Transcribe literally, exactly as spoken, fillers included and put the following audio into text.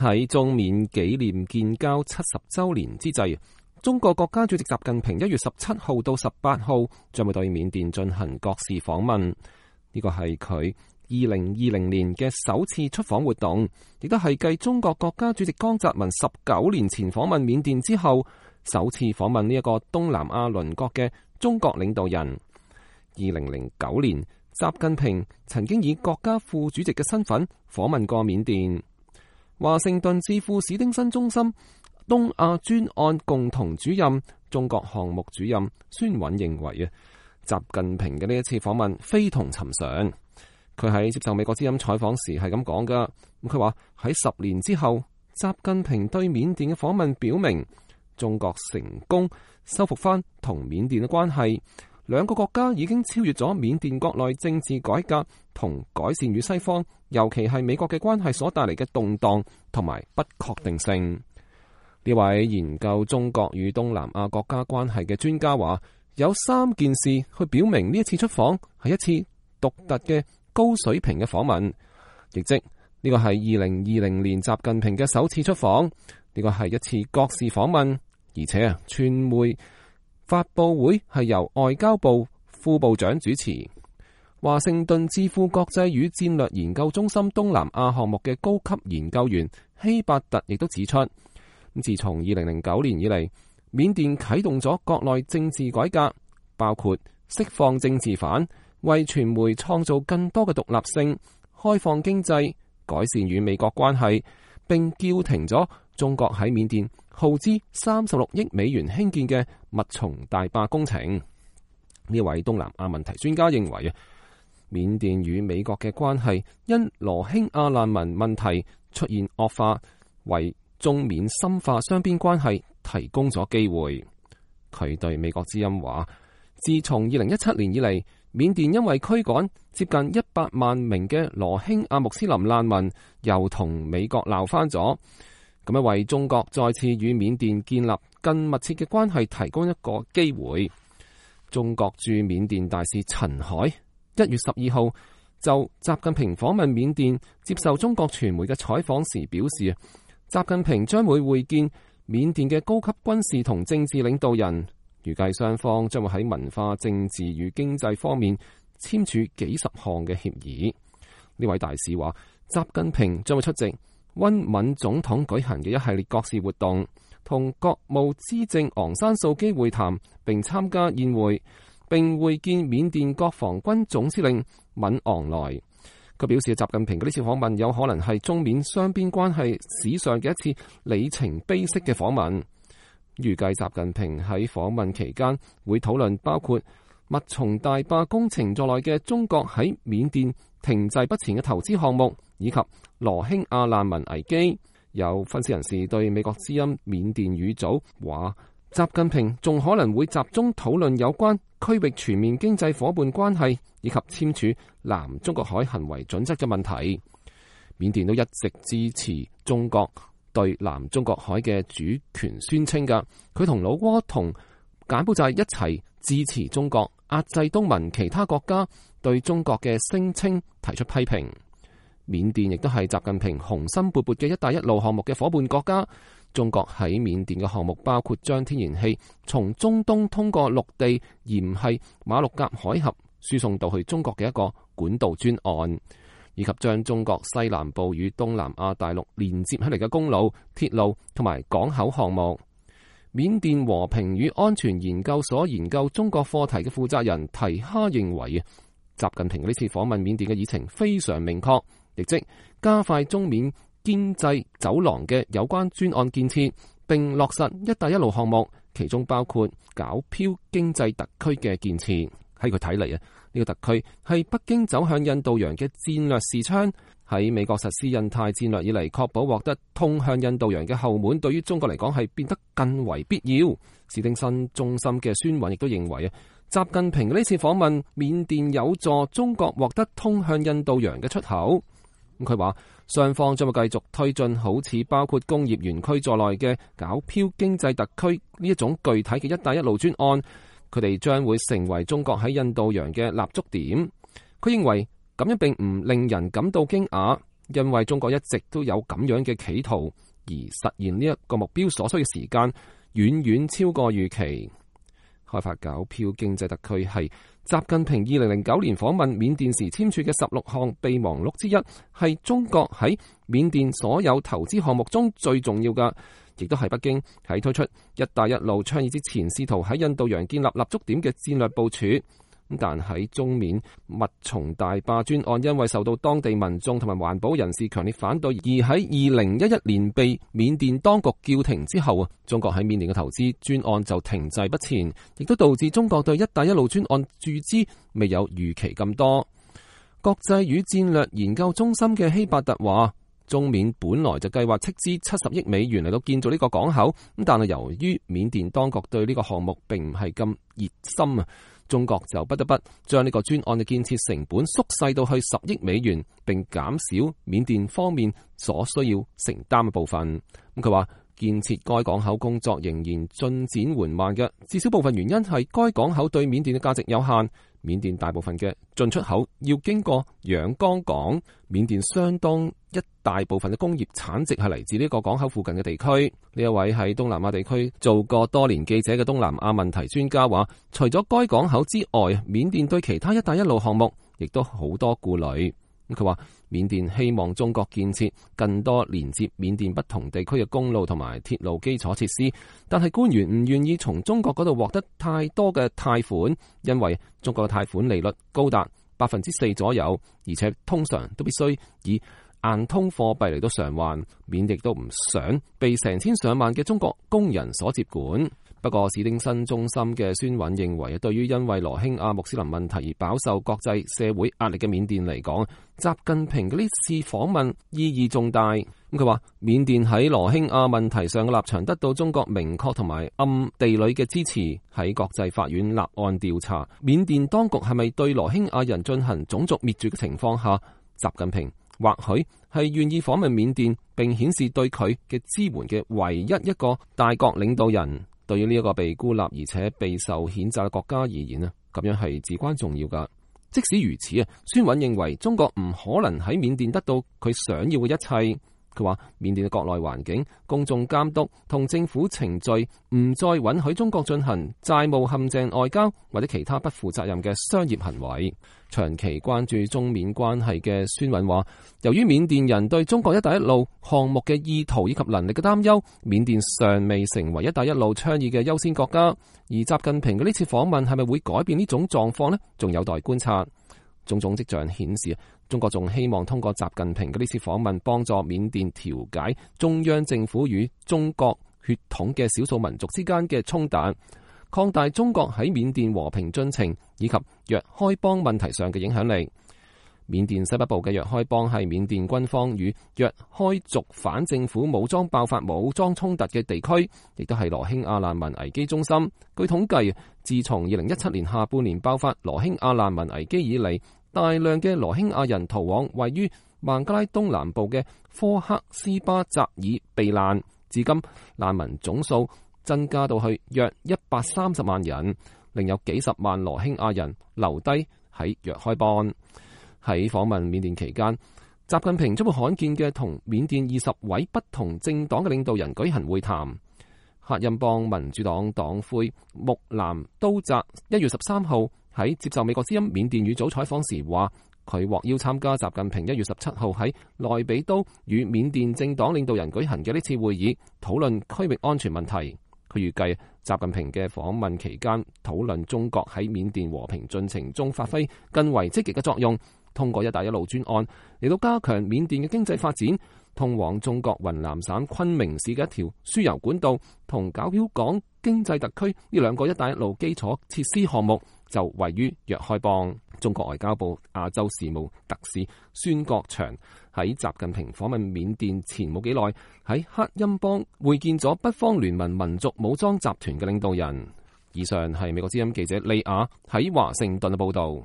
喺中緬紀念建交七十週年之際，中國國家主席習近平一月十七號到十八號將會對緬甸進行國事訪問。呢個係佢二零二零年嘅首次出訪活動，亦都係繼中國國家主席江澤民十九年前訪問緬甸之後，首次訪問呢一個東南亞鄰國嘅中國領導人。二零零九年，習近平曾經以國家副主席嘅身份訪問過緬甸。華盛頓智庫史丁森中心東亞專案共同主任、中國項目主任孫允認為啊，習近平嘅呢一次訪問非同尋常。佢喺接受美國之音採訪時係咁講噶，佢話喺十年之後，習近平對緬甸嘅訪問表明，中國成功修復翻同緬甸嘅關係，兩個國家已經超越咗緬甸國內政治改革同改善與西方，尤其係美國嘅關係所帶嚟嘅動盪同埋不確定性。呢位研究中國與東南亞國家關係嘅專家話，有三件事去表明呢一次出訪係一次獨特嘅高水平嘅訪問，亦即呢個係二零二零年習近平嘅首次出訪，呢個係一次國事訪問，而且啊，傳媒發佈會係由外交部副部長主持。華盛頓智庫國際與戰略研究中心東南亞項目嘅高級研究員希伯特亦都指出，自從二零零九年以嚟，緬甸啟動咗國內政治改革，包括釋放政治犯、為傳媒創造更多嘅獨立性、開放經濟、改善與美國關係，並叫停咗中國喺緬甸耗資三十六億美元興建嘅密松大壩工程。呢位東南亞問題專家認為啊，緬甸與美國嘅關係因羅興亞難民問題出現惡化，為中緬深化雙邊關係提供咗機會。佢對美國之音話，自從二零一七年以嚟，緬甸因為驅趕接近一百萬名嘅羅興亞穆斯林難民，又同美國鬧翻咗，咁樣為中國再次與緬甸建立更密切嘅關係提供一個機會。中國駐緬甸大使陳海一月十二號就習近平訪問緬甸接受中國傳媒嘅採訪時表示，習近平將會會見緬甸嘅高級軍事同政治領導人，預計雙方將會喺文化、政治與經濟方面簽署幾十項嘅協議。呢位大使話，習近平將會出席温敏總統舉行嘅一系列國事活動，同國務資政昂山素基會談並參加宴會，並會見緬甸國防軍總司令敏昂萊。佢表示，習近平嘅呢次訪問有可能係中緬雙邊關係史上嘅一次里程碑式嘅訪問。預計習近平喺訪問期間會討論包括密松大壩工程在內嘅中國喺緬甸停滯不前嘅投資項目，以及羅興亞難民危機。有分析人士對美國之音緬甸語組話，習近平仲可能會集中討論有關區域全面經濟夥伴關係以及簽署南中國海行為準則嘅問題。緬甸都一直支持中國對南中國海嘅主權宣稱㗎，佢同老撾同柬埔寨一齊支持中國壓制東盟其他國家對中國嘅聲稱提出批評。緬甸亦都係習近平雄心勃勃嘅一帶一路項目嘅夥伴國家。中國喺緬甸嘅項目包括將天然氣從中東通過陸地鹽係馬六甲海峽輸送到去中國嘅一個管道專案，以及將中國西南部與東南亞大陸連接起嚟嘅公路、鐵路同埋港口項目。緬甸和平與安全研究所研究中國課題嘅負責人提哈認為，習近平呢次訪問緬甸嘅議程非常明確，亦即加快中緬經濟走廊嘅有關專案建設，並落實一帶一路項目，其中包括皎漂經濟特區嘅建設。喺佢睇嚟啊，呢個特區係北京走向印度洋嘅戰略視窗，喺美國實施印太戰略以嚟，確保獲得通向印度洋嘅後門，對於中國嚟講係變得更為必要。史丁森中心嘅孫允亦都認為啊，習近平呢次訪問緬甸有助中國獲得通向印度洋嘅出口。佢話雙方將會繼續推進好似包括工業園區在內嘅皎漂經濟特區呢一種具體嘅一帶一路專案，佢哋將會成為中國喺印度洋嘅立足點。佢認為咁樣並唔令人感到驚訝，因為中國一直都有咁樣嘅企圖，而實現呢一個目標所需嘅時間遠遠超過預期。開發皎漂經濟特區係習近平二零零九年訪問緬甸時簽署嘅十六項備忘錄之一，係中國喺緬甸所有投資項目中最重要嘅，亦都係北京喺推出一帶一路倡議之前試圖喺印度洋建立立足點嘅戰略部署。但喺中緬密松大壩專案因為受到當地民眾同埋環保人士強烈反對，而喺二零一一年被緬甸當局叫停之後啊，中國喺緬甸嘅投資專案就停滯不前，亦都導致中國對一帶一路專案注資未有預期咁多。國際與戰略研究中心嘅希伯特話，中緬本來就計劃斥資七十億美元嚟到建造呢個港口，咁但係由於緬甸當局對呢個項目並唔係咁熱心啊，中國就不得不將呢個專案嘅建設成本縮細到去十億美元，並減少緬甸方面所需要承擔嘅部分。咁佢話建設該港口工作仍然進展緩慢嘅，至少部分原因係該港口對緬甸嘅價值有限。緬甸大部分嘅進出口要經過仰光港，緬甸相當一大部分嘅工業產值係嚟自呢個港口附近嘅地區。呢一位喺東南亞地區做過多年記者嘅東南亞問題專家話，除咗該港口之外，緬甸對其他一帶一路項目亦都好多顧慮。佢話緬甸希望中國建設更多連接緬甸不同地區嘅公路同埋鐵路基礎設施，但係官員唔願意從中國嗰度獲得太多嘅貸款，因為中國嘅貸款利率高達百分之四左右，而且通常都必須以硬通貨幣嚟到償還，緬亦都唔想被成千上萬嘅中國工人所接管。不過史丁森中心嘅孫韻認為，對於因為羅興亞穆斯林問題而飽受國際社會壓力嘅緬甸嚟講，習近平嘅呢次訪問意義重大。咁佢話緬甸喺羅興亞問題上嘅立場得到中國明確同埋暗地裏嘅支持。喺國際法院立案調查緬甸當局係咪對羅興亞人進行種族滅絕嘅情況下，習近平或許係願意訪問緬甸，並顯示對佢嘅支援嘅唯一一個大國領導人。對於呢一個被孤立而且備受譴責嘅國家而言啊，咁樣係至關重要噶。即使如此啊，孫韻認為中國唔可能喺緬甸得到佢想要嘅一切。佢話緬甸嘅國內環境、公眾監督同政府程序唔再允許中國進行債務陷阱外交或者其他不負責任嘅商業行為。長期關注中緬關係嘅孫韻話，由於緬甸人對中國一帶一路項目嘅意圖以及能力嘅擔憂，緬甸尚未成為一帶一路倡議嘅優先國家。而習近平嘅呢次訪問係咪會改變呢種狀況呢？仲有待觀察。種種跡象顯示，中國仲希望通過習近平嘅呢次訪問，幫助緬甸調解中央政府與中國血統嘅少數民族之間嘅衝突，擴大中國喺緬甸和平進程以及若開邦問題上嘅影響力。緬甸西北部嘅若開邦係緬甸軍方與若開族反政府武裝爆發武裝衝突嘅地區，亦都係羅興亞難民危機中心。據統計，自從二零一七年下半年爆發羅興亞難民危機以嚟，大量嘅羅興亞人逃往位於孟加拉東南部嘅科克斯巴扎爾避難，至今難民總數增加到去約一百三十萬人，另有幾十萬羅興亞人留低喺若開邦。喺訪問緬甸期間，習近平將會罕見嘅同緬甸二十位不同政黨嘅領導人舉行會談。克欽邦民主黨黨魁穆南都澤一月十三號喺接受美國之音緬甸語組採訪時話，佢獲邀參加習近平一月十七號喺內比都與緬甸政黨領導人舉行嘅呢次會議，討論區域安全問題。佢預計習近平嘅訪問期間討論中國喺緬甸和平進程中發揮更為積極嘅作用，通過一帶一路專案嚟到加強緬甸嘅經濟發展。通往中國雲南省昆明市嘅一條輸油管道同皎漂港經濟特區呢兩個一帶一路基礎設施項目就位於若開邦。中國外交部亞洲事務特使孫國祥喺習近平訪問緬甸前冇幾耐，喺克欽邦會見咗北方聯盟民族武裝集團嘅領導人。以上係美國之音記者利亞喺華盛頓嘅報道。